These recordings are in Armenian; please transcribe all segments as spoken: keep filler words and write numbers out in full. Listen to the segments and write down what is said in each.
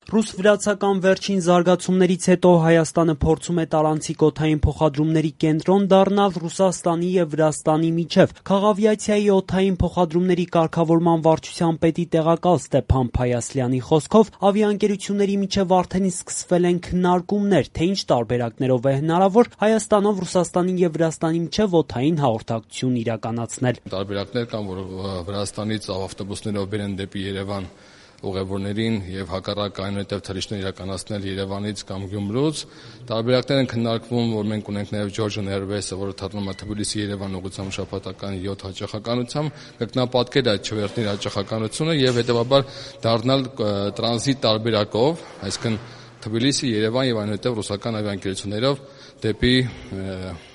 Ռուս-վրացական վերջին զարգացումներից հետո Հայաստանը փորձում է տարանցիկ օդային փոխադրումների կենտրոն դառնալ Ռուսաստանի և Վրաստանի միջև։ Քաղավիացիայի օդային փոխադրումների կարգավորման վարչության պետի տեղակալ Ստեփան Փայասլյանի խոսքով ավիաընկերությունների միջև արդեն սկսվել են քննարկումներ, թե ինչ տարբերակներով է հնարավոր Հայաստանով Ռուսաստանի և Վրաստանի միջև օդային հաղորդակցություն իրականացնել։ Տարբերակներ կան, որ Վրաստանից ավտոբուսներով բերեն դեպի Երևան ուղևորներին եւ հակառակ այնուհետեւ թռիչքներ իրականացնել Երևանից կամ Գյումրուց։ Տարբերակներ են քննարկվում, որ մենք ունենք նաեւ Georgian Airways-ը, որը թռնում է Թբիլիսի-Երևան ուղղությամբ շաբաթական յոթ հաճախականությամբ, կրկնապատկել այդ չվերթների հաճախականությունը եւ հետեւաբար դառնալ տրանզիտ տարբերակով, այսինքն Թբիլիսի, Երևան եւ այնուհետեւ ռուսական ավիաընկերություններով դեպի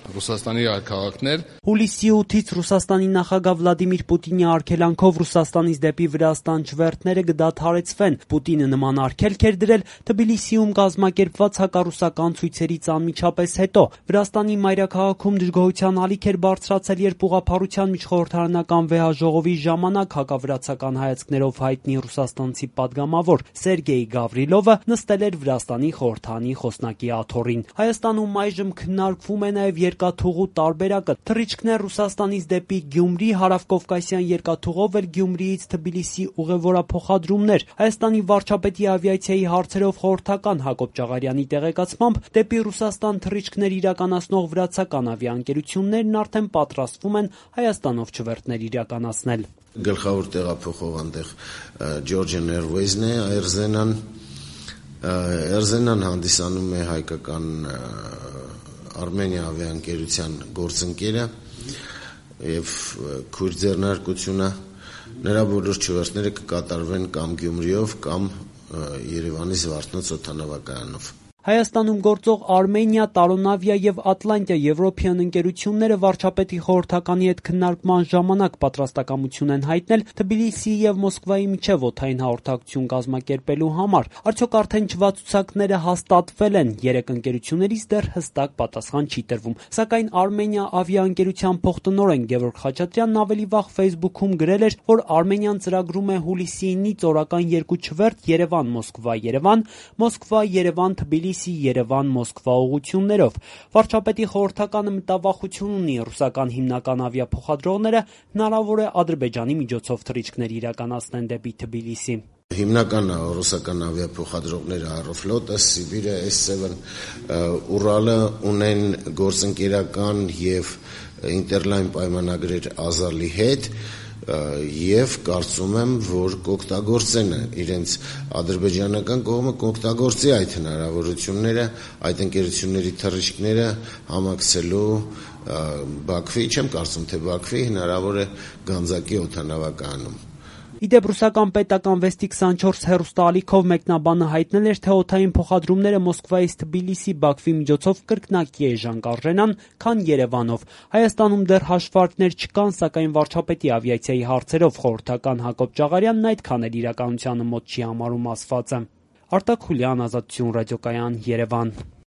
Ռուսաստանի այլ քաղաքներ։ Հուլիսի ութից Ռուսաստանի նախագահ Վլադիմիր Պուտինի արգելանքով Ռուսաստանից դեպի Վրաստան չվերթները կդադարեցվեն։ Պուտինը նման արգելք էր դրել Թբիլիսիում կազմակերպված հակառուսական ցույցերից անմիջապես հետո։ Վրաստանի մայրաքաղաքում դժգոհության ալիք էր բարձրացել, երբ ուղղափառության միջխորհրդարանական վեհաժողովի ժամանակ հակավրացական հայացքներով հայտնի ռուսաստանցի падգամավոր Սերգեյ Գավրիլովը նստել էր Վրաստանի խորհրդարանի խոսնակի աթոռին։ Հայաստանում այժմ քննարկվում է նաև երկաթուղու տարբերակը։ Թռիչքներ Ռուսաստանից դեպի Գյումրի, հարավկովկասյան երկաթուղով էլ Գյումրիից Թբիլիսի ուղևորափոխադրումներ։ Հայաստանի վարչապետի ավիացիայի հարցերով խորհրդական Հակոբ Ճաղարյանի տեղեկացմամբ դեպի Ռուսաստան թռիչքներ իրականացնող վրացական ավիաընկերություններն արդեն պատրաստվում են Հայաստանով չվերթներ իրականացնել։ Գլխավոր տեղափոխող այնտեղ Georgian Airways-ն է, Air-Zennan Air-Zennan հանդիսանում է հայկական Արմենիա ավիաընկերության գործընկերը եւ քույր ձեռնարկությունը, նրա բոլոր չվերթները կկատարվեն կամ Գյումրիով կամ Երևանի Զվարթնոց օդանավակայանով։ Հայաստանում գործող Արմենիա, Տարոնավիա եւ Ատլանտիա եվրոպյան ընկերությունները վարչապետի խորհրդականի հետ քննարկման ժամանակ պատրաստակամություն են հայտնել Թբիլիսիի եւ Մոսկվայի միջև օդային հաղորդակցություն կազմակերպելու համար։ Արդյոք արդեն չվացուցակները հաստատվել են։ Երեք ընկերություններից դեռ հստակ պատասխան չի տրվում։ Սակայն Արմենիա ավիաընկերության փոխտնօրեն Գևորգ Խաչատրյանն ավելի վաղ Facebook-ում գրել էր, որ Արմենիան ծրագրում է հուլիսի ինից օրական երկու չվերթ Երևան-Մոսկվա-Երևան, Մոսկվա-Երևան-Թբիլիսի Երևան-Մոսկվա ուղղություններով։ Վարչապետի խորհրդականը մտավախություն ունի ռուսական հիմնական ավիափոխադրողները հնարավոր է Ադրբեջանի միջոցով թռիչքներ իրականացնեն դեպի Թբիլիսի։ Հիմնական ռուսական ավիափոխադրողները Aeroflot-ը, Sibir-ը, S seven, Urals-ը ունեն գործընկերական եւ ինտերլայն պայմանագրեր Ազալի հետ եւ կարծում եմ, որ կօգտագործեն իրենց ադրբեջանական կողմը կօգտագործի այդ հնարավորությունները, այդ ընկերությունների թռիչքները համակցելու Բաքվի, չեմ կարծում, թե Բաքվի հնարավոր է Գանձակի օդանավակայանում։ Իդեպ ռուսական պետական վեստի քսանչորս հեռուստաալիքով մեկնաբանը հայտնել էր, թե օդային փոխադրումները Մոսկվայից Թբիլիսի Բաքվի միջոցով կրկնակի էժան կարժենան, քան Երևանով։ Հայաստանում դեռ հաշվարկներ չկան, սակայն վարչապետի ավիացիայի հարցերով խորհրդական Հակոբ Ճաղարյանն այդքան էլ իրականությանը մոտ չի համարում ասվածը։ Արտակ Խուլյան, Ազատություն ռադիոկայան, Երևան։